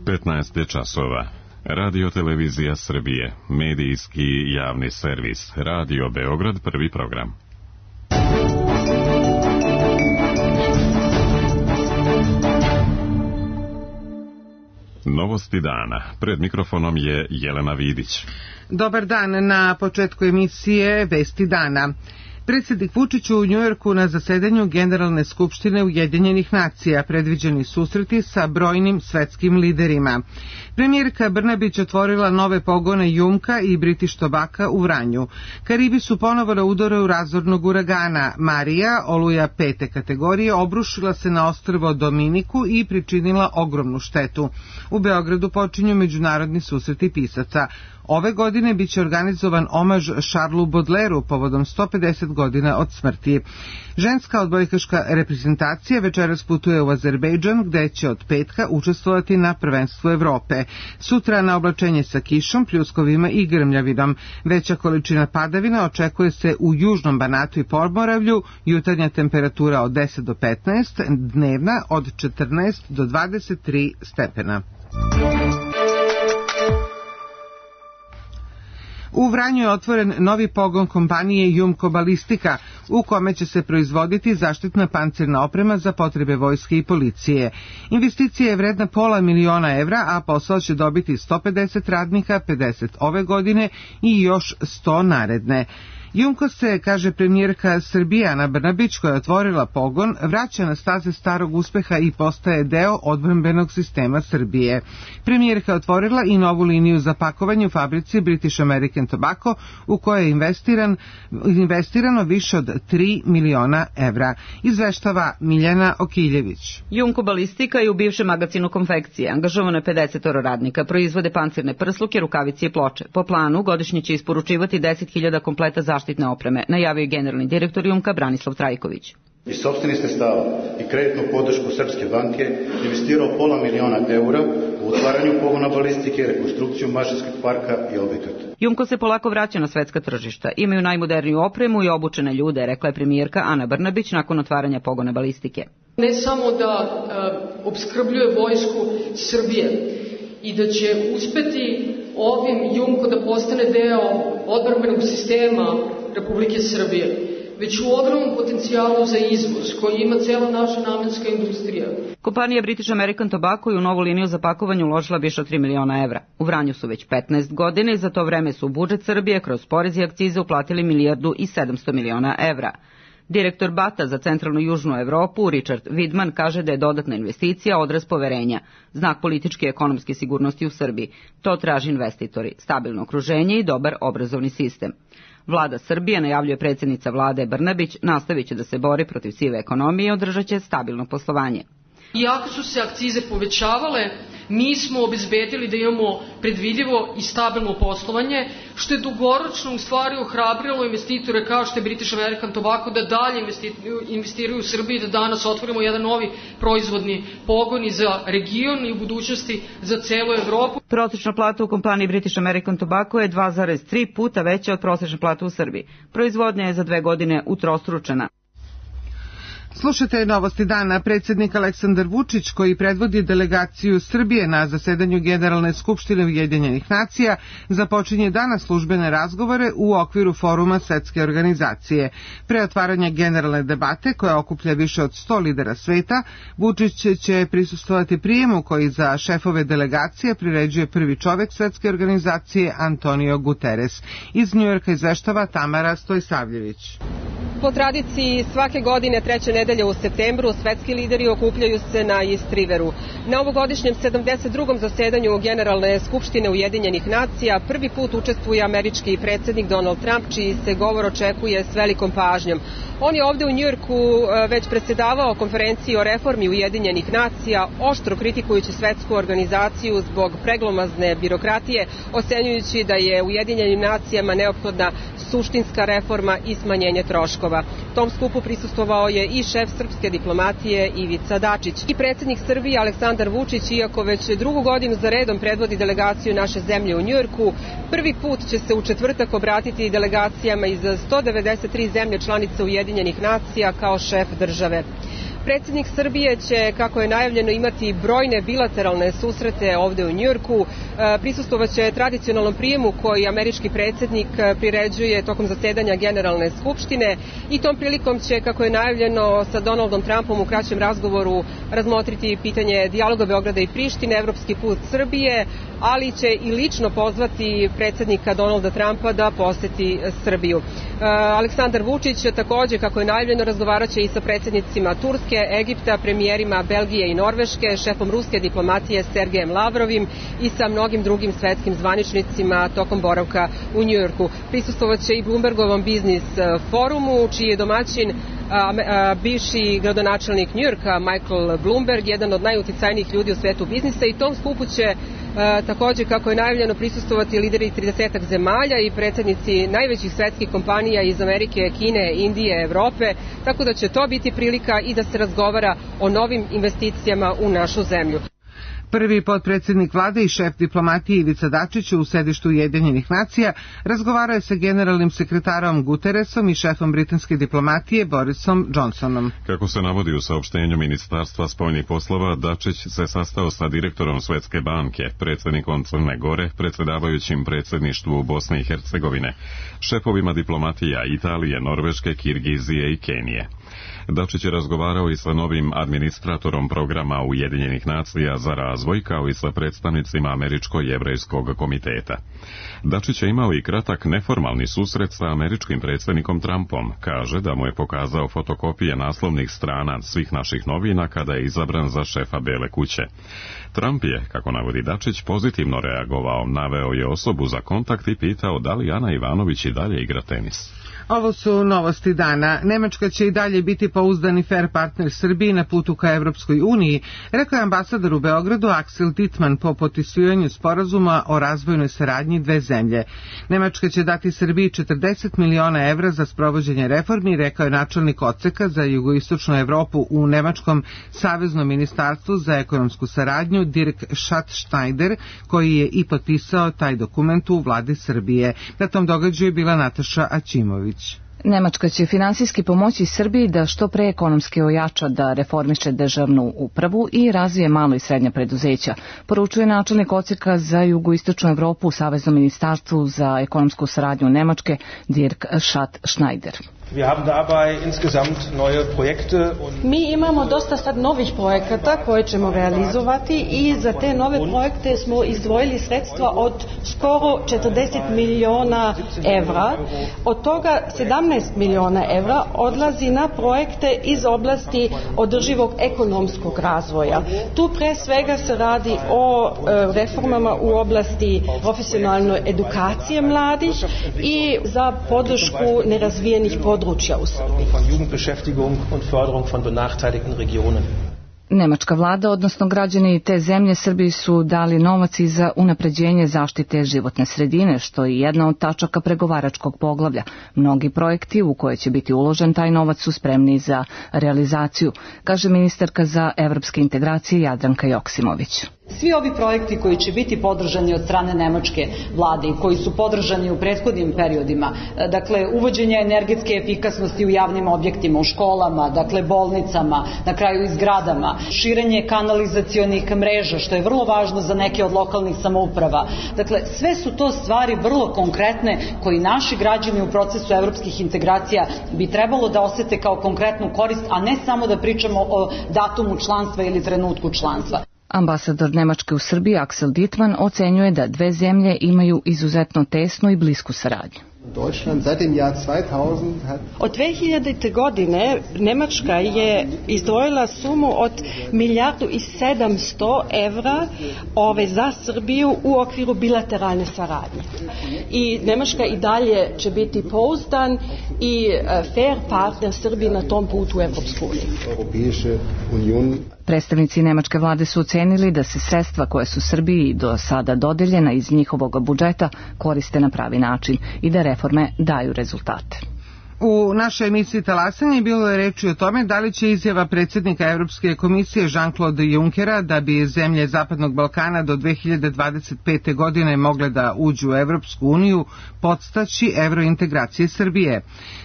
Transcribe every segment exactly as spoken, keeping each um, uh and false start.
petnaest je časova. Radio Televizija Srbije, medijski javni servis, Radio Beograd, prvi program. Novosti dana. Pred mikrofonom je Jelena Vidić. Dobar dan, na početku emisije Vesti dana. Predsjednik Vučić u Njujorku na zasedanju Generalne skupštine Ujedinjenih nacija, predviđeni susreti sa brojnim svetskim liderima. Premijerka Brnabić otvorila nove pogone Jumka i British Tobacco u Vranju. Karibi su ponovo na udaru razornog uragana. Marija, oluja pete kategorije, obrušila se na ostrvo Dominiku i pričinila ogromnu štetu. U Beogradu počinju međunarodni susreti pisaca. Ove godine biće organizovan omaž Charlesu Baudelairu povodom sto pedeset godina od smrti. Ženska odbojkaška reprezentacija večeras putuje u Azerbejdžan, gde će od petka učestvovati na prvenstvu Evrope. Sutra na oblačenje sa kišom, pljuskovima i grmljavinom. Veća količina padavina očekuje se u južnom Banatu i Podmoravlju, jutarnja temperatura od deset do petnaest, dnevna od četrnaest do dvadeset tri stepena. U Vranju je otvoren novi pogon kompanije Jumko Balistika, u kome će se proizvoditi zaštitna pancirna oprema za potrebe vojske i policije. Investicija je vredna pola miliona evra, a posao će dobiti sto pedeset radnika, pedeset ove godine i još sto naredne. Jumko se, kaže premijerka Srbije Ana Brnabić, koja je otvorila pogon, vraća na staze starog uspeha i postaje deo odbrambenog sistema Srbije. Premijerka je otvorila i novu liniju za pakovanje u fabrici British American Tobacco, u kojoj je investiran, investirano više od tri miliona evra. Izveštava Miljana Okiljević. Jumko Balistika je u bivšem magazinu konfekcije. Angažovano je pedeset radnika, proizvode pancirne prsluke, rukavice i ploče. Po planu godišnje će isporučivati deset hiljada kompleta zaštitne zaštitne opreme, najavio je generalni direktor Jumka Branislav Trajković. Iz sopstvenih sredstava i kreditnu podršku Srpske banke investirao pola miliona eura u otvaranju pogona balistike, rekonstrukciju mašinskog parka i objekata. Jumko se polako vraća na svetska tržišta. Imaju najmoderniju opremu i obučene ljude, rekla je premijerka Ana Brnabić nakon otvaranja pogona balistike. Ne samo da uh, opskrbljuje vojsku Srbije i da će uspeti ovim Jumko da postane deo odbrambenog sistema Republike Srbije, već u ogromnom potencijalu za izvoz koji ima cela naša namenska industrija. Kompanija British American Tobacco je u novu liniju za pakovanje uložila više od tri miliona evra. U Vranju su već petnaest godina i za to vreme su u budžet Srbije kroz porez i akcize uplatili milijardu i sedamsto miliona evra. Direktor Bata za centralnu i južnu Evropu, Richard Widman, kaže da je dodatna investicija odraz poverenja, znak političke i ekonomske sigurnosti u Srbiji. To traži investitori, stabilno okruženje i dobar obrazovni sistem. Vlada Srbije, najavljuje predsjednica vlade Brnabić, nastavit će da se bori protiv sive ekonomije i održat će stabilno poslovanje. Iako su se akcize povećavale, mi smo obezbedili da imamo predvidljivo i stabilno poslovanje, što je dugoročno u stvari ohrabrilo investitore kao što je British American Tobacco da dalje investiraju u Srbiji, da danas otvorimo jedan novi proizvodni pogon i za region i u budućnosti za celu Evropu. Prosečna plata u kompaniji British American Tobacco je dva zarez tri puta veća od prosečne plate u Srbiji. Proizvodnja je za dve godine utrostručena. Slušajte novosti dana. Predsjednik Aleksandar Vučić, koji predvodi delegaciju Srbije na zasedanju Generalne skupštine Ujedinjenih nacija, započinje danas službene razgovore u okviru foruma Svetske organizacije. Pre otvaranja generalne debate, koja okuplja više od sto lidera sveta, Vučić će prisustvovati prijemu koji za šefove delegacije priređuje prvi čovek Svetske organizacije Antonio Guterres. Iz Njujorka izveštava Tamara Stojsavljević. Po tradiciji svake godine treće nedelje u septembru svetski lideri okupljaju se na East Riveru. Na ovogodišnjem sedamdeset drugom zasedanju Generalne skupštine Ujedinjenih nacija prvi put učestvuje američki predsjednik Donald Trump, čiji se govor očekuje s velikom pažnjom. On je ovde u Njujorku već predsjedavao konferenciji o reformi Ujedinjenih nacija, oštro kritikujući svetsku organizaciju zbog preglomazne birokratije, ocenjujući da je Ujedinjenim nacijama neophodna suštinska reforma i smanjenje troškova. Tom skupu prisustvovao je i šef srpske diplomatije Ivica Dačić. I predsjednik Srbije Aleksandar Vučić, iako već drugu godinu za redom predvodi delegaciju naše zemlje u Njujorku, prvi put će se u četvrtak obratiti delegacijama iz sto devedeset tri zemlje članice Ujedinjenih nacija kao šef države. Predsjednik Srbije će, kako je najavljeno, imati brojne bilateralne susrete ovde u Njujorku. Prisustvovaće tradicionalnom prijemu koji američki predsjednik priređuje tokom zasedanja Generalne skupštine i tom prilikom će, kako je najavljeno, sa Donaldom Trumpom u kraćem razgovoru razmotriti pitanje dijaloga Beograda i Prištine, evropski put Srbije, ali će i lično pozvati predsjednika Donalda Trumpa da poseti Srbiju. Aleksandar Vučić takođe, kako je najavljeno, razgovarat će i sa predsjednicima Turske, Egipta, premijerima Belgije i Norveške, šefom ruske diplomatije Sergejem Lavrovim i sa mnogim drugim svetskim zvaničnicima tokom boravka u Njujorku. Prisustvovaće i Bloombergovom biznis forumu, čiji je domaćin A, a, bivši gradonačelnik Njujorka Michael Bloomberg, jedan od najuticajnijih ljudi u svetu biznisa, i tom skupu će a, takođe, kako je najavljeno, prisustvovati lideri tridesetak zemalja i predsjednici najvećih svetskih kompanija iz Amerike, Kine, Indije, Evrope, tako da će to biti prilika i da se razgovara o novim investicijama u našu zemlju. Prvi potpredsjednik vlade i šef diplomatije Ivica Dačić u sedištu Ujedinjenih nacija razgovarao je sa generalnim sekretarom Guteresom i šefom britanske diplomatije Borisom Johnsonom. Kako se navodi u saopštenju Ministarstva spoljnih poslova, Dačić se sastao sa direktorom Svetske banke, predsjednikom Crne Gore, predsjedavajućim predsjedništvu Bosne i Hercegovine, šefovima diplomatija Italije, Norveške, Kirgizije i Kenije. Dačić je razgovarao i sa novim administratorom programa Ujedinjenih nacija za razvoj, kao i sa predstavnicima Američko-jevrejskog komiteta. Dačić je imao i kratak neformalni susret sa američkim predsjednikom Trumpom. Kaže da mu je pokazao fotokopije naslovnih strana svih naših novina kada je izabran za šefa Bele kuće. Trump je, kako navodi Dačić, pozitivno reagovao, naveo je osobu za kontakt i pitao da li Ana Ivanović i dalje igra tenis. Ovo su novosti dana. Nemačka će i dalje biti pouzdani fair partner Srbiji na putu ka Evropskoj uniji, rekao je ambasador u Beogradu Axel Dittmann po potpisivanju sporazuma o razvojnoj saradnji dve zemlje. Nemačka će dati Srbiji četrdeset miliona evra za sprovođenje reformi, rekao je načelnik odseka za jugoistočnu Evropu u Nemačkom saveznom ministarstvu za ekonomsku saradnju Dirk Schatzschneider, koji je i potpisao taj dokument u vladi Srbije. Na tom događaju je bila Nataša Aćimović. Nemačka će finansijski pomoći Srbiji da što pre ekonomski ojača, da reformiše državnu upravu i razvije malo i srednja preduzeća, poručuje načelnik odseka za jugoistočnu Evropu u Saveznom ministarstvu za ekonomsku saradnju Nemačke Dirk Schatzschneider. Mi imamo dosta sad novih projekata koje ćemo realizovati i za te nove projekte smo izdvojili sredstva od skoro četrdeset miliona evra. Od toga sedamnaest miliona evra odlazi na projekte iz oblasti održivog ekonomskog razvoja. Tu pre svega se radi o reformama u oblasti profesionalne edukacije mladih i za podršku nerazvijenih područja. Nemačka vlada, odnosno građani te zemlje Srbiji, su dali novac i za unapređenje zaštite životne sredine, što je jedna od tačaka pregovaračkog poglavlja. Mnogi projekti u koje će biti uložen taj novac su spremni za realizaciju, kaže ministarka za evropske integracije Jadranka Joksimović. Svi ovi projekti koji će biti podržani od strane nemačke vlade i koji su podržani u prethodnim periodima, dakle uvođenje energetske efikasnosti u javnim objektima, u školama, dakle bolnicama, na kraju i zgradama, širenje kanalizacionih mreža, što je vrlo važno za neke od lokalnih samouprava. Dakle, sve su to stvari vrlo konkretne koji naši građani u procesu evropskih integracija bi trebalo da osete kao konkretnu korist, a ne samo da pričamo o datumu članstva ili trenutku članstva. Ambasador Nemačke u Srbiji Axel Dittmann ocenjuje da dve zemlje imaju izuzetno tesnu i blisku saradnju. Od dve hiljadite. godine Nemačka je izdvojila sumu od milijardu i sedamsto evra ove za Srbiju u okviru bilateralne saradnje. I Nemačka i dalje će biti pouzdan i fair partner Srbiji na tom putu u Evropsku uniju. Predstavnici nemačke vlade su ocenili da se sredstva koje su Srbiji do sada dodeljena iz njihovog budžeta koriste na pravi način i da reforme daju rezultate. U našoj emisiji Talasanje bilo je reči o tome da li će izjava predsjednika Evropske komisije Jean-Claude Junckera da bi zemlje Zapadnog Balkana do dve hiljade dvadeset pete. godine mogle da uđu u Evropsku uniju podstaći evrointegracije Srbije.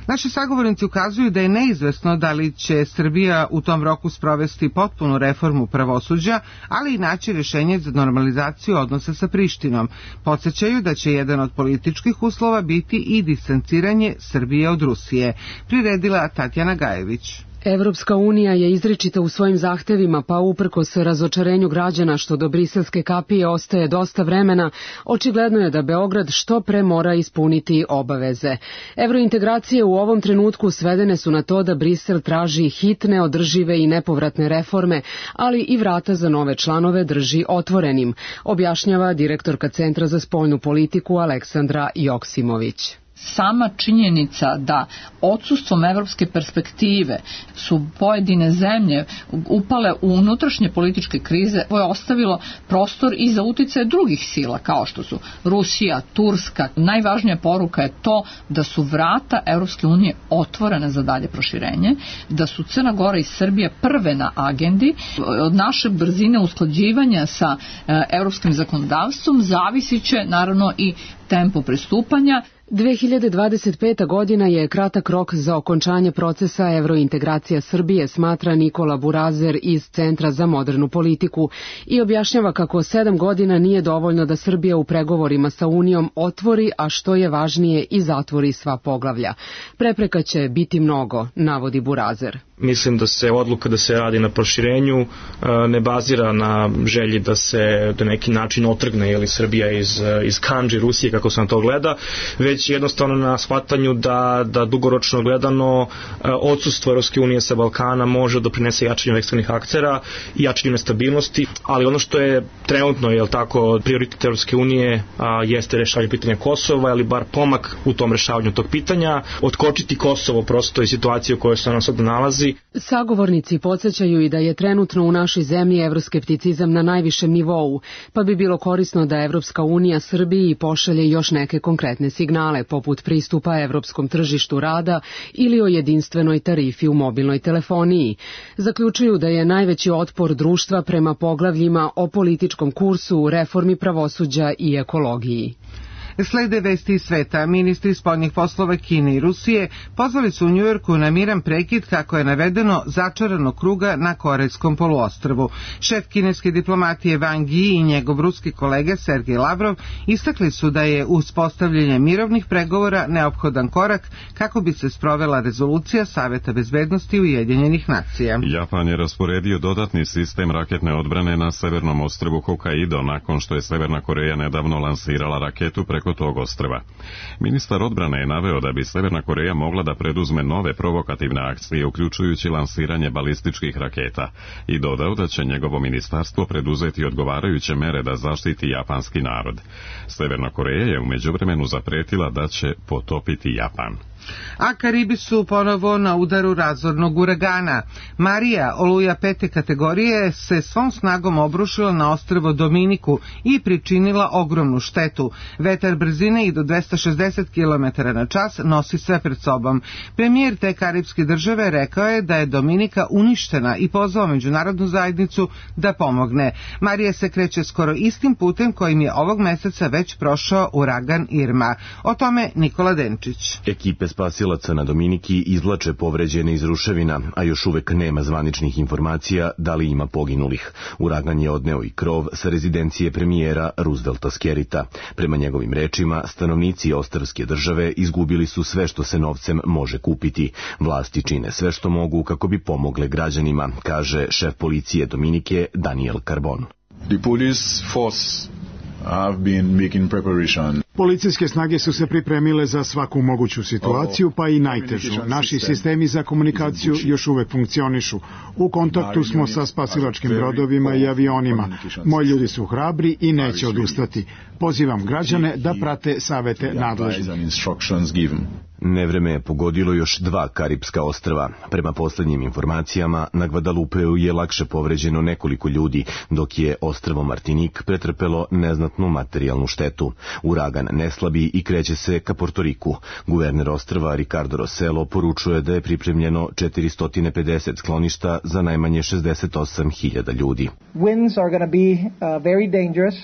Naši sagovornici ukazuju da je neizvesno da li će Srbija u tom roku sprovesti potpunu reformu pravosuđa, ali i naći rješenje za normalizaciju odnosa sa Prištinom. Podsjećaju da će jedan od političkih uslova biti i distanciranje Srbije od Rusije. Priredila Tatjana Gajević. Evropska unija je izričita u svojim zahtevima, pa uprkos razočarenju građana što do briselske kapije ostaje dosta vremena, očigledno je da Beograd što pre mora ispuniti obaveze. Evrointegracije u ovom trenutku svedene su na to da Brisel traži hitne, održive i nepovratne reforme, ali i vrata za nove članove drži otvorenim, objašnjava direktorka Centra za spoljnu politiku Aleksandra Joksimović. Sama činjenica da odsustvom evropske perspektive su pojedine zemlje upale u unutrašnje političke krize, ovo je ostavilo prostor i za uticaje drugih sila kao što su Rusija, Turska. Najvažnija poruka je to da su vrata Evropske unije otvorene za dalje proširenje, da su Crna Gora i Srbija prve na agendi. Od naše brzine usklađivanja sa evropskim zakonodavstvom zavisit će naravno i tempo pristupanja. dve hiljade dvadeset peta. godina je kratak rok za okončanje procesa evrointegracija Srbije, smatra Nikola Burazer iz Centra za modernu politiku i objašnjava kako sedam godina nije dovoljno da Srbija u pregovorima sa Unijom otvori, a što je važnije i zatvori sva poglavlja. Prepreka će biti mnogo, navodi Burazer. Mislim da se odluka da se radi na proširenju ne bazira na želji da se na neki način otrgne jeli, Srbija iz, iz kandži Rusije, kako se na to gleda, već jednostavno na shvatanju da, da dugoročno gledano odsustvo Evropske unije sa Balkana može da prinese jačanju eksternih aktera i jačanju nestabilnosti, ali ono što je trenutno je tako prioritet Evropske unije a, jeste rešavanje pitanja Kosova, ili bar pomak u tom rešavanju tog pitanja, otkočiti Kosovo prosto i situaciju u kojoj se ona sada nalazi. Sagovornici podsjećaju i da je trenutno u našoj zemlji evroskepticizam na najvišem nivou, pa bi bilo korisno da Evropska unija Srbiji pošalje još neke konkretne signale, poput pristupa evropskom tržištu rada ili o jedinstvenoj tarifi u mobilnoj telefoniji. Zaključuju da je najveći otpor društva prema poglavljima o političkom kursu, reformi pravosuđa i ekologiji. Slede vesti iz sveta. Ministri spoljnih poslova Kine i Rusije pozvali su u Njujorku na miran prekid, kako je navedeno, začaranog kruga na Korejskom poluostrvu. Šef kineske diplomatije Wang Yi i njegov ruski kolega Sergej Lavrov istakli su da je uspostavljanje mirovnih pregovora neophodan korak kako bi se sprovela rezolucija Saveta bezbednosti Ujedinjenih nacija. Japan je rasporedio dodatni sistem raketne odbrane na severnom ostrvu Hokkaido nakon što je Severna Koreja nedavno lansirala raketu preko tog ostrva. Ministar odbrane je naveo da bi Severna Koreja mogla da preduzme nove provokativne akcije, uključujući lansiranje balističkih raketa, i dodao da će njegovo ministarstvo preduzeti odgovarajuće mere da zaštiti japanski narod. Severna Koreja je u međuvremenu zapretila da će potopiti Japan. A Karibi su ponovo na udaru razornog uragana. Marija, oluja pete kategorije, se svom snagom obrušila na ostrvo Dominiku i pričinila ogromnu štetu. Vetar brzine i do dvesta šezdeset kilometara na čas nosi sve pred sobom. Premijer te karibske države rekao je da je Dominika uništena i pozvao međunarodnu zajednicu da pomogne. Marija se kreće skoro istim putem kojim je ovog meseca već prošao uragan Irma. O tome Nikola Denčić. Ekipe spasilaca na Dominiki izvlače povređene iz ruševina, a još uvek nema zvaničnih informacija da li ima poginulih. Uragan je odneo i krov sa rezidencije premijera Roosevelta Skerita. Prema njegovim rečima, stanovnici ostrvske države izgubili su sve što se novcem može kupiti. Vlasti čine sve što mogu kako bi pomogle građanima, kaže šef policije Dominike Daniel Carbon. The police force have been making preparation. Policijske snage su se pripremile za svaku moguću situaciju, pa i najtežu. Naši sistemi za komunikaciju još uvek funkcionišu. U kontaktu smo sa spasilačkim brodovima i avionima. Moji ljudi su hrabri i neće odustati. Pozivam građane da prate savete nadležnih. Nevreme je pogodilo još dva karipska ostrva. Prema poslednjim informacijama, na Gvadalupeu je lakše povređeno nekoliko ljudi, dok je ostrvo Martinik pretrpelo neznatnu materijalnu štetu. Uragan ne slabi i kreće se ka Portoriku. Guverner ostrva Ricardo Rossello poručuje da je pripremljeno četiristo pedeset skloništa za najmanje šezdeset osam hiljada ljudi. Winds are going to be uh, very dangerous.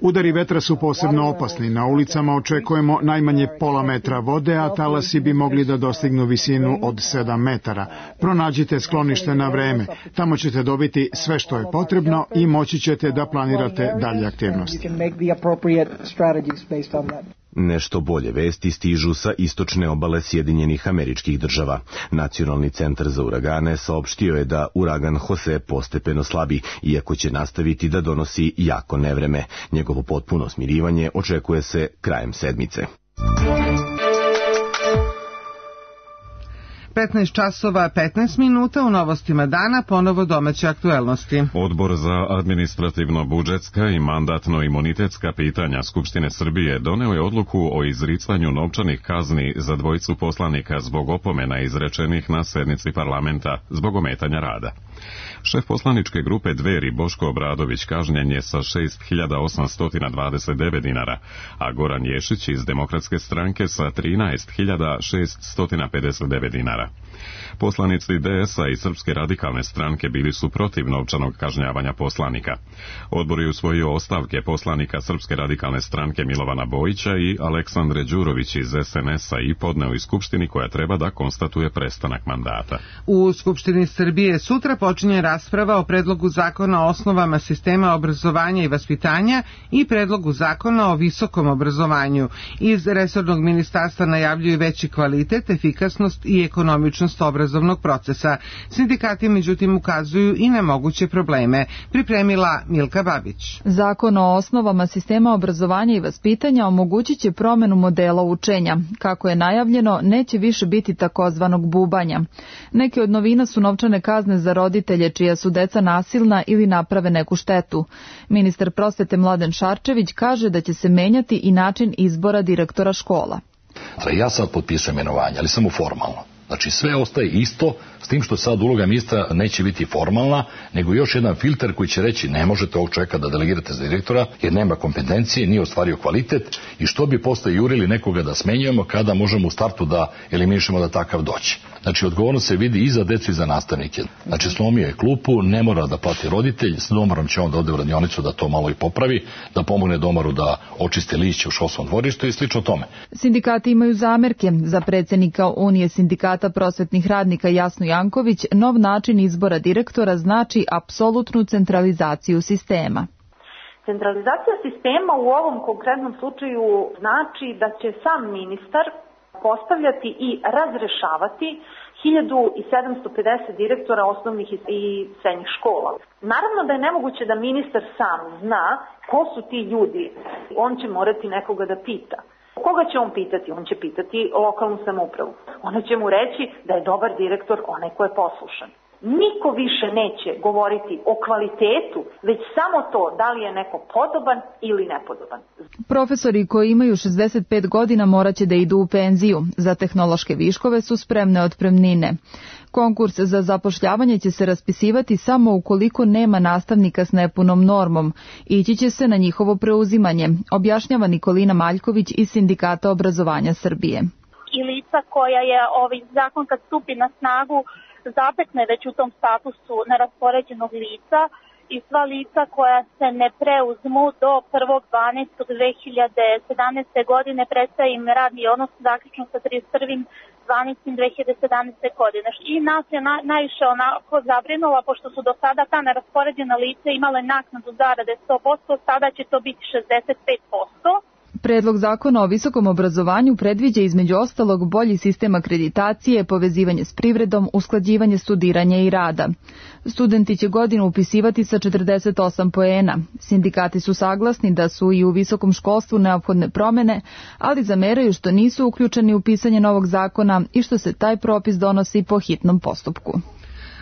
Udari vetra su posebno opasni. Na ulicama očekujemo najmanje pola metra vode, a talasi bi mogli da dostignu visinu od sedam metara. Pronađite sklonište na vreme. Tamo ćete dobiti sve što je potrebno i moći ćete da planirate dalje aktivnosti. Nešto bolje vesti stižu sa istočne obale Sjedinjenih Američkih Država. Nacionalni centar za uragane saopštio je da uragan Jose postepeno slabi, iako će nastaviti da donosi jako nevreme. Njegovo potpuno smirivanje očekuje se krajem sedmice. petnaest časova petnaest minuta u novostima dana, ponovo domaće aktuelnosti. Odbor za administrativno-budžetska i mandatno-imunitetska pitanja Skupštine Srbije doneo je odluku o izricanju novčanih kazni za dvojicu poslanika zbog opomena izrečenih na sednici parlamenta zbog ometanja rada. Šef poslaničke grupe Dveri Boško Obradović kažnjen je sa šest hiljada osamsto dvadeset devet dinara, a Goran Ješić iz Demokratske stranke sa trinaest hiljada šeststo pedeset devet dinara. Poslanici D S-a i Srpske radikalne stranke bili su protiv novčanog kažnjavanja poslanika. Odbor je usvojio ostavke poslanika Srpske radikalne stranke Milovana Bojića i Aleksandre Đurović iz S N S-a i podneo iz Skupštini koja treba da konstatuje prestanak mandata. U Skupštini Srbije sutra počinje rasprava o predlogu zakona o osnovama sistema obrazovanja i vaspitanja i predlogu zakona o visokom obrazovanju. Iz resornog ministarstva najavljuju veći kvalitet, efikasnost i ekonomičnost obrazovnog procesa. Sindikati međutim ukazuju i na moguće probleme. Pripremila Milka Babić. Zakon o osnovama sistema obrazovanja i vaspitanja omogućit će promenu modela učenja. Kako je najavljeno, neće više biti takozvanog bubanja. Neke od novina su novčane kazne za roditelje čija su deca nasilna ili naprave neku štetu. Ministar prosvete Mladen Šarčević kaže da će se menjati i način izbora direktora škola. Ja sad potpisujem imenovanje, ali samo formalno. Znači sve ostaje isto, s tim što sad uloga ministra neće biti formalna, nego još jedan filter koji će reći ne možete ovog čovjeka da delegirate za direktora jer nema kompetencije, nije ostvario kvalitet i što bi posle jurili nekoga da smenjujemo kada možemo u startu da eliminišemo da takav doći. Znači odgovornost se vidi i za decu i za nastavnike. Znači slomio je klupu, ne mora da plati roditelj, s domarom će on da ode u radionicu da to malo i popravi, da pomogne domaru da očiste lišće u školskom dvorištu i slično tome. Sindikati imaju zamerke. Za predsjednika Unije sindikata prosvetnih radnika Jasnu Janković, nov način izbora direktora znači apsolutnu centralizaciju sistema. Centralizacija sistema u ovom konkretnom slučaju znači da će sam ministar postavljati i razrešavati hiljadu sedamsto pedeset direktora osnovnih i srednjih škola. Naravno da je nemoguće da ministar sam zna ko su ti ljudi. On će morati nekoga da pita. Koga će on pitati? On će pitati lokalnu samoupravu. Ona će mu reći da je dobar direktor onaj ko je poslušan. Niko više neće govoriti o kvalitetu, već samo to da li je neko podoban ili nepodoban. Profesori koji imaju šezdeset pet godina morat će da idu u penziju. Za tehnološke viškove su spremne otpremnine. Konkurs za zapošljavanje će se raspisivati samo ukoliko nema nastavnika s nepunom normom. Ići će se na njihovo preuzimanje, objašnjava Nikolina Maljković iz Sindikata obrazovanja Srbije. I lica koja je ovaj zakon kad stupi na snagu zatekne već u tom statusu neraspoređenog lica i sva lica koja se ne preuzmu do prvog dvanaestog dve hiljade sedamnaeste. godine prestaje im radni odnos zaključno sa trideset prvog dvanaestog dve hiljade sedamnaeste. godine. I nas je na, najviše onako zabrinula, pošto su do sada ta neraspoređena lica imale naknadu zarade sto posto, sada će to biti šezdeset pet posto. Predlog zakona o visokom obrazovanju predviđa između ostalog bolji sistem akreditacije, povezivanje s privredom, usklađivanje studiranja i rada. Studenti će godinu upisivati sa četrdeset osam poena. Sindikati su saglasni da su i u visokom školstvu neophodne promene, ali zameraju što nisu uključeni u pisanje novog zakona i što se taj propis donosi po hitnom postupku.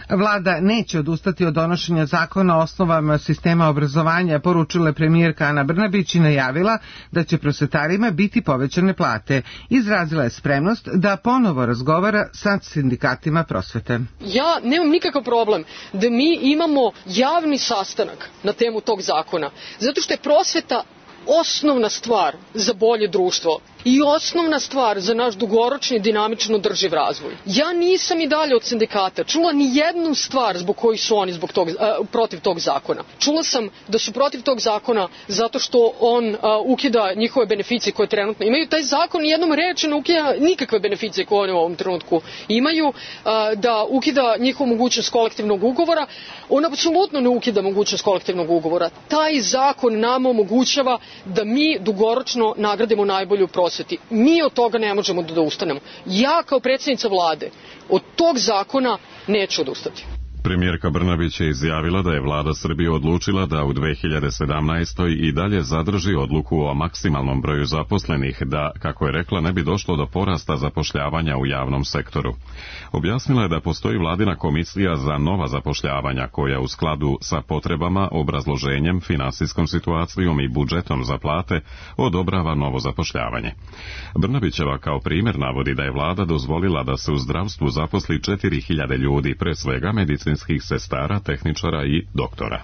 Vlada neće odustati od donošenja zakona o osnovama sistema obrazovanja, poručila je premijerka Ana Brnabić i najavila da će prosvetarima biti povećane plate. Izrazila je spremnost da ponovo razgovara sa sindikatima prosvete. Ja nemam nikakav problem da mi imamo javni sastanak na temu tog zakona, zato što je prosveta osnovna stvar za bolje društvo i osnovna stvar za naš dugoročni dinamično održiv razvoj. Ja nisam i dalje od sindikata čula ni jednu stvar zbog kojih su oni zbog tog, uh, protiv tog zakona. Čula sam da su protiv tog zakona zato što on uh, ukida njihove beneficije koje trenutno imaju. Taj zakon jednom rečeno ukida nikakve beneficije koje oni u ovom trenutku imaju, uh, da ukida njihovu mogućnost kolektivnog ugovora. On apsolutno ne ukida mogućnost kolektivnog ugovora. Taj zakon nama omogućava da mi dugoročno nagradimo najbolju prosvetu. Mi od toga ne možemo da ustanemo. Ja kao predsjednica vlade od tog zakona neću odustati. Premijerka Brnabić je izjavila da je vlada Srbije odlučila da u dve hiljade sedamnaestoj. i dalje zadrži odluku o maksimalnom broju zaposlenih, da, kako je rekla, ne bi došlo do porasta zapošljavanja u javnom sektoru. Objasnila je da postoji vladina komisija za nova zapošljavanja koja u skladu sa potrebama, obrazloženjem, finansijskom situacijom i budžetom za plate odobrava novo zapošljavanje. Brnabićeva kao primjer navodi da je vlada dozvolila da se u zdravstvu zaposli četiri hiljade ljudi, pre svega medicinskih sestara, tehničara i doktora.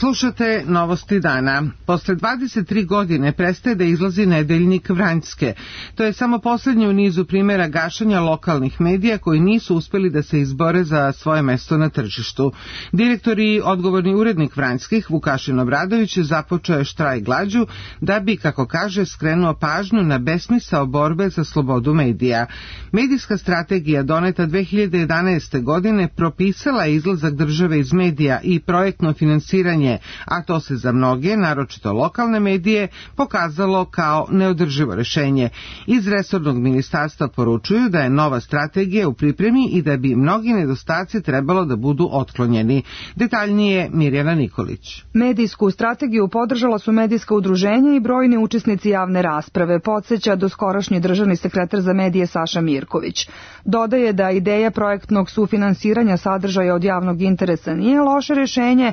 Slušate Novosti dana. Posle dvadeset tri godine prestaje da izlazi nedeljnik Vranjske. To je samo posljednji u nizu primjera gašanja lokalnih medija koji nisu uspjeli da se izbore za svoje mesto na tržištu. Direktor i odgovorni urednik Vranjskih, Vukašin Obradović, započeo je štrajk glađu da bi, kako kaže, skrenuo pažnju na besmisao borbe za slobodu medija. Medijska strategija doneta dve hiljade jedanaeste. godine propisala je izlazak države iz medija i projektno finansiranje, a to se za mnoge, naročito lokalne medije, pokazalo kao neodrživo rešenje. Iz resornog ministarstva poručuju da je nova strategija u pripremi i da bi mnogi nedostaci trebalo da budu otklonjeni. Detaljnije Mirjana Nikolić. Medijsku strategiju podržala su medijska udruženja i brojni učesnici javne rasprave, podsjeća doskorašnji državni sekretar za medije Saša Mirković. Dodaje da ideja projektnog sufinansiranja sadržaja od javnog interesa nije loše rješenje,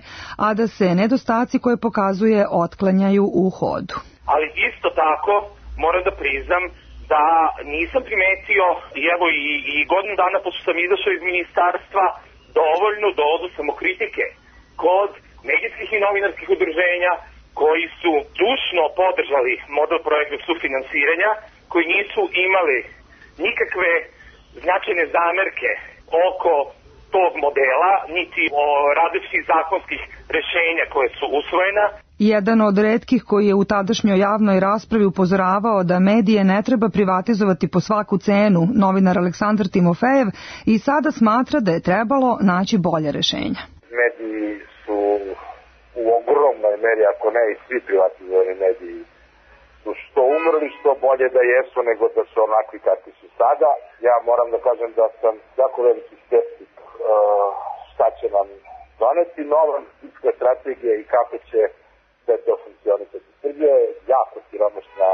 a da se nedostaci koje pokazuje otklanjaju u hodu. Ali isto tako moram da priznam da nisam primetio, i evo i, i godinu dana pošto sam izašao iz ministarstva, dovoljnu dozu samokritike kod medijskih i novinarskih udruženja koji su dušno podržali model projektnog sufinansiranja, koji nisu imali nikakve značajne zamerke oko tog modela, niti o različitih zakonskih rešenja koje su usvojena. Jedan od retkih koji je u tadašnjoj javnoj raspravi upozoravao da medije ne treba privatizovati po svaku cenu, novinar Aleksandar Timofejev, i sada smatra da je trebalo naći bolje rešenja. Mediji su u ogromnoj meri, ako ne i svi privatizovani mediji, su što umrli, što bolje da jesu nego da su onakvi kakvi su sada. Ja moram da kažem da sam jako veliki skeptik uh, šta će nam doneti nova medijska strategija i kako će sve to funkcionisati. Srbija je jako siromašna,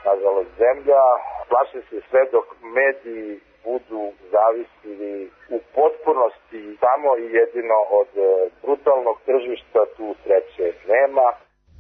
nažalost, zemlja. Plašim se sve dok mediji budu zavisili u potpunosti samo i jedino od brutalnog tržišta, tu sreće nema.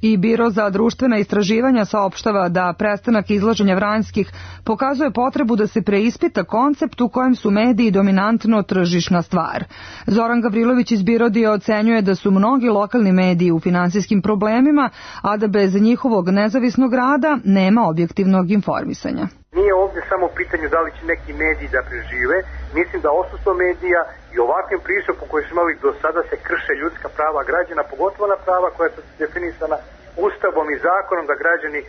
I Biro za društvena istraživanja saopštava da prestanak izlaženja Vranjskih pokazuje potrebu da se preispita koncept u kojem su mediji dominantno tržišna stvar. Zoran Gavrilović iz Birodija ocenjuje da su mnogi lokalni mediji u finansijskim problemima, a da bez njihovog nezavisnog rada nema objektivnog informisanja. Nije ovdje samo u pitanju da li će neki mediji da prežive. Mislim da odsustvo medija i ovakvim pristupom koji smo imali do sada se krše ljudska prava građana, pogotovo na prava koja su definisana Ustavom i zakonom, da građani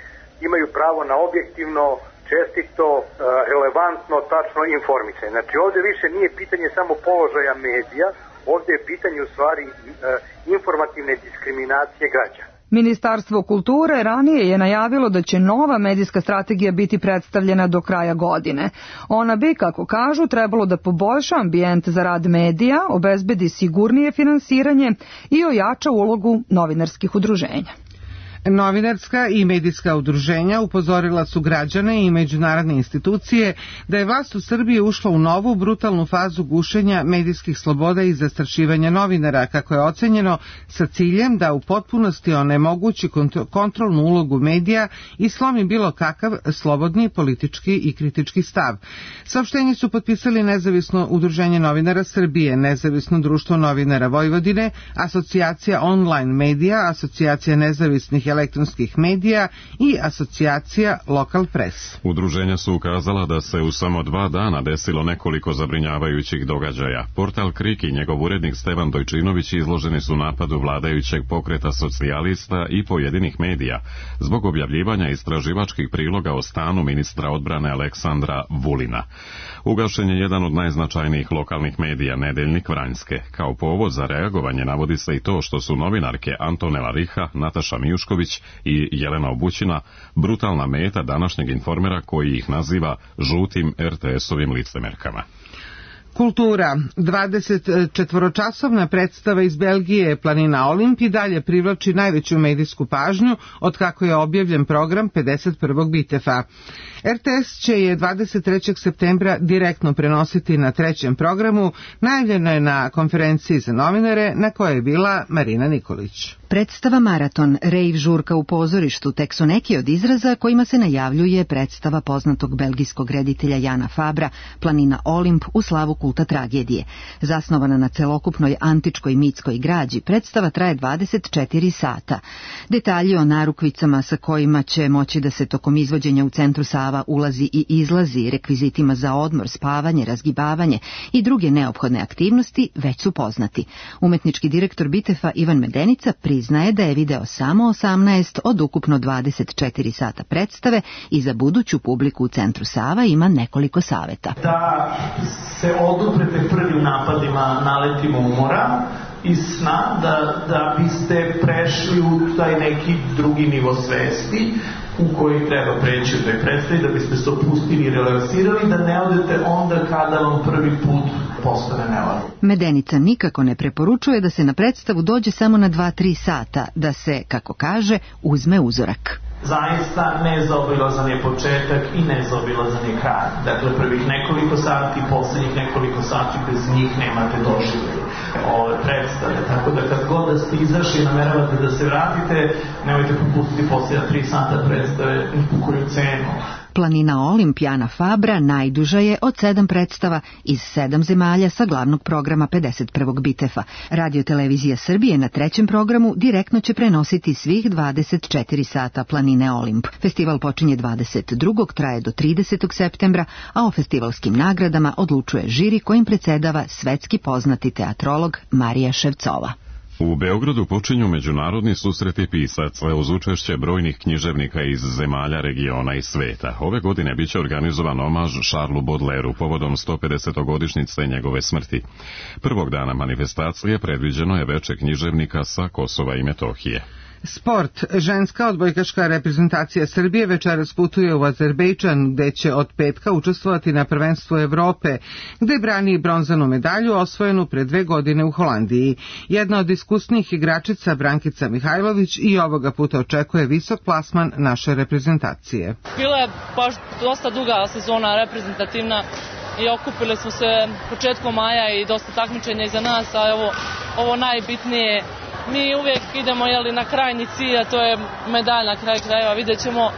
imaju pravo na objektivno, čestito, relevantno, tačno informisanje. Znači ovdje više nije pitanje samo položaja medija, ovdje je pitanje u stvari informativne diskriminacije građana. Ministarstvo kulture ranije je najavilo da će nova medijska strategija biti predstavljena do kraja godine. Ona bi, kako kažu, trebalo da poboljša ambijent za rad medija, obezbedi sigurnije finansiranje i ojača ulogu novinarskih udruženja. Novinarska i medijska udruženja upozorila su građane i međunarodne institucije da je vlast u Srbiji ušla u novu brutalnu fazu gušenja medijskih sloboda i zastrašivanja novinara, kako je ocenjeno, sa ciljem da u potpunosti onemogući kontrolnu ulogu medija i slomi bilo kakav slobodni politički i kritički stav. Saopštenje su potpisali Nezavisno udruženje novinara Srbije, Nezavisno društvo novinara Vojvodine, Asocijacija online medija, Asocijacija nezavisnih elektronskih medija i Asocijacija Lokal Press. Udruženja su ukazala da se u samo dva dana desilo nekoliko zabrinjavajućih događaja. Portal Krik i njegov urednik Stevan Dojčinović izloženi su napadu vladajućeg pokreta socijalista i pojedinih medija zbog objavljivanja istraživačkih priloga o stanu ministra odbrane Aleksandra Vulina. Ugašen je jedan od najznačajnijih lokalnih medija, Nedeljnik Vranjske. Kao povod za reagovanje navodi se i to što su novinarke Antonela Riha, Nataša Mijušković i Jelena Obućina brutalna meta današnjeg Informera koji ih naziva žutim er te esovim licemerkama. Kultura. dvadesetčetvoročasovna predstava iz Belgije Planina Olimp i dalje privlači najveću medijsku pažnju od kako je objavljen program pedeset prvog Bitefa. er te es će je dvadeset trećeg septembra direktno prenositi na trećem programu, najavljeno je na konferenciji za novinare na kojoj je bila Marina Nikolić. Predstava Maraton, rejv žurka u pozorištu, tek su neki od izraza kojima se najavljuje predstava poznatog belgijskog reditelja Jana Fabra, Planina Olimp u slavu kulta tragedije. Zasnovana na celokupnoj antičkoj mitskoj građi, predstava traje dvadeset četiri sata. Detalji o narukvicama sa kojima će moći da se tokom izvođenja u centru Sava ulazi i izlazi, rekvizitima za odmor, spavanje, razgibavanje i druge neophodne aktivnosti već su poznati. Umetnički direktor Bitefa Ivan Medenica priznaje da je video samo osamnaest od ukupno dvadeset četiri sata predstave i za buduću publiku u centru Sava ima nekoliko saveta. Da se oduprete prvim napadima naletima umora i sna, da, da biste prešli u taj neki drugi nivo svesti u koji treba preći u toj predstavi, da biste se opustili i relaksirali, da ne odete onda kada vam prvi put postane nevažno. Medenica nikako ne preporučuje da se na predstavu dođe samo na dva do tri sata, da se, kako kaže, uzme uzorak. Zaista nezaobilazan je početak i nezaobilazan je kraj. Dakle, prvih nekoliko sati, poslednjih nekoliko sati, bez njih nemate doživlje ove predstave. Tako da kad god da ste izašli i nameravate da se vratite, nemojte propustiti posljednja tri sata predstave ni po koju cenu. Planina Olimp Jana Fabra najduža je od sedam predstava iz sedam zemalja sa glavnog programa pedeset prvog Bitefa. Radio-televizija Srbije na trećem programu direktno će prenositi svih dvadeset četiri sata Planine Olimp. Festival počinje dvadeset drugog traje do tridesetog septembra, a o festivalskim nagradama odlučuje žiri kojim predsedava svetski poznati teatrolog Marija Ševcova. U Beogradu počinju međunarodni susreti pisaca uz učešće brojnih književnika iz zemalja, regiona i sveta. Ove godine biće organizovan omaž Charlesu Baudelairu povodom sto pedesetogodišnjice njegove smrti. Prvog dana manifestacije predviđeno je veče književnika sa Kosova i Metohije. Sport. Ženska odbojkaška reprezentacija Srbije večeras putuje u Azerbejdžan, gde će od petka učestvovati na prvenstvu Evrope, gde brani bronzanu medalju osvojenu pre dve godine u Holandiji. Jedna od iskusnijih igračica, Brankica Mihajlović, i ovoga puta očekuje visok plasman naše reprezentacije. Bila je baš dosta duga sezona reprezentativna i okupili smo se početkom maja i dosta takmičenja iza nas, a ovo, ovo najbitnije. Mi uvijek idemo jeli, na krajnji cilj, a to je medalj na kraju krajeva. Vidjet ćemo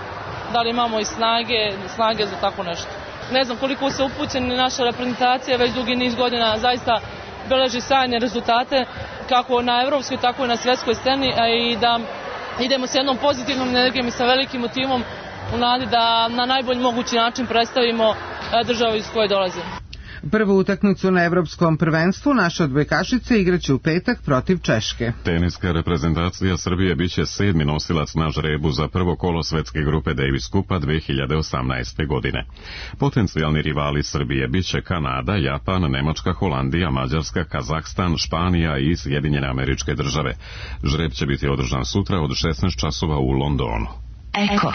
da li imamo i snage, snage za tako nešto. Ne znam koliko se upućeni naša reprezentacija, već dugi niz godina zaista beleži sjajne rezultate, kako na evropskoj, tako i na svjetskoj sceni, a i da idemo s jednom pozitivnom energijom i sa velikim motivom u nadi da na najbolji mogući način predstavimo državu iz koje dolazimo. Prvu utakmicu na evropskom prvenstvu naše odbojkašice igraće u petak protiv Češke. Teniska reprezentacija Srbije biće sedmi nosilac na žrebu za prvo kolo svetske grupe Davis Kupa dve hiljade osamnaeste. godine. Potencijalni rivali Srbije biće Kanada, Japan, Nemačka, Holandija, Mađarska, Kazahstan, Španija i Sjedinjene Američke Države. Žreb će biti održan sutra od šesnaest časova u Londonu. Eko.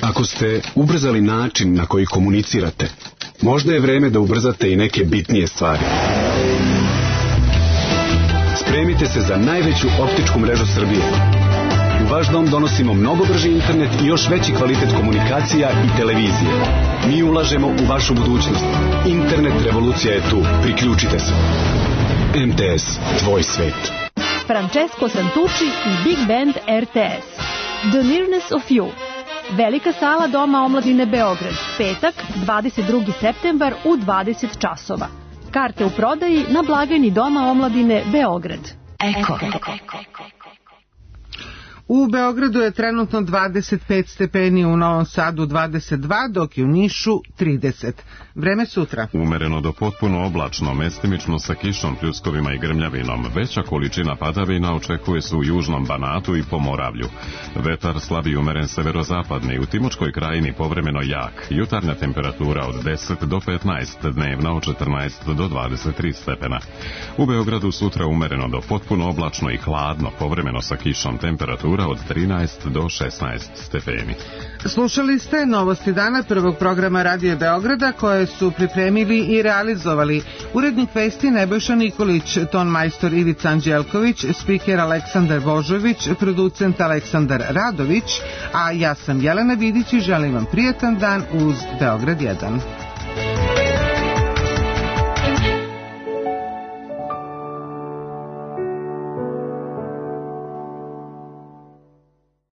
Ako ste ubrzali način na koji komunicirate, možda je vreme da ubrzate i neke bitnije stvari. Spremite se za najveću optičku mrežu Srbije. U vaš dom donosimo mnogo brži internet i još veći kvalitet komunikacija i televizije. Mi ulažemo u vašu budućnost. Internet revolucija je tu. Priključite se. M T S, tvoj svet. Francesco Santucci i Big Band R T S. The Nearness of You. Velika sala Doma omladine Beograd. Petak, dvadeset drugi septembar u dvadeset časova. Karte u prodaji na blagajni Doma omladine Beograd. Eko. U Beogradu je trenutno dvadeset pet stepeni, u Novom Sadu dvadeset dva, dok je u Nišu trideset. Vreme sutra. Umereno do potpuno oblačno, mestimično sa kišom, pljuskovima i grmljavinom. Veća količina padavina očekuje se u južnom Banatu i Pomoravlju. Vetar slab i umeren severozapadni, u Timočkoj krajini povremeno jak. Jutarnja temperatura od deset do petnaest, dnevna od četrnaest do dvadeset tri stepena. U Beogradu sutra umereno do potpuno oblačno i hladno, povremeno sa kišom, temperatura od trinaest do šesnaest stepeni. Slušali ste novosti dana prvog programa Radija Beograda koje su pripremili i realizovali urednik vesti Nebojša Nikolić, ton majstor Ivica Anđelković, spiker Aleksandar Božović, producent Aleksandar Radović, a ja sam Jelena Vidić i želim vam prijatan dan uz Beograd jedan.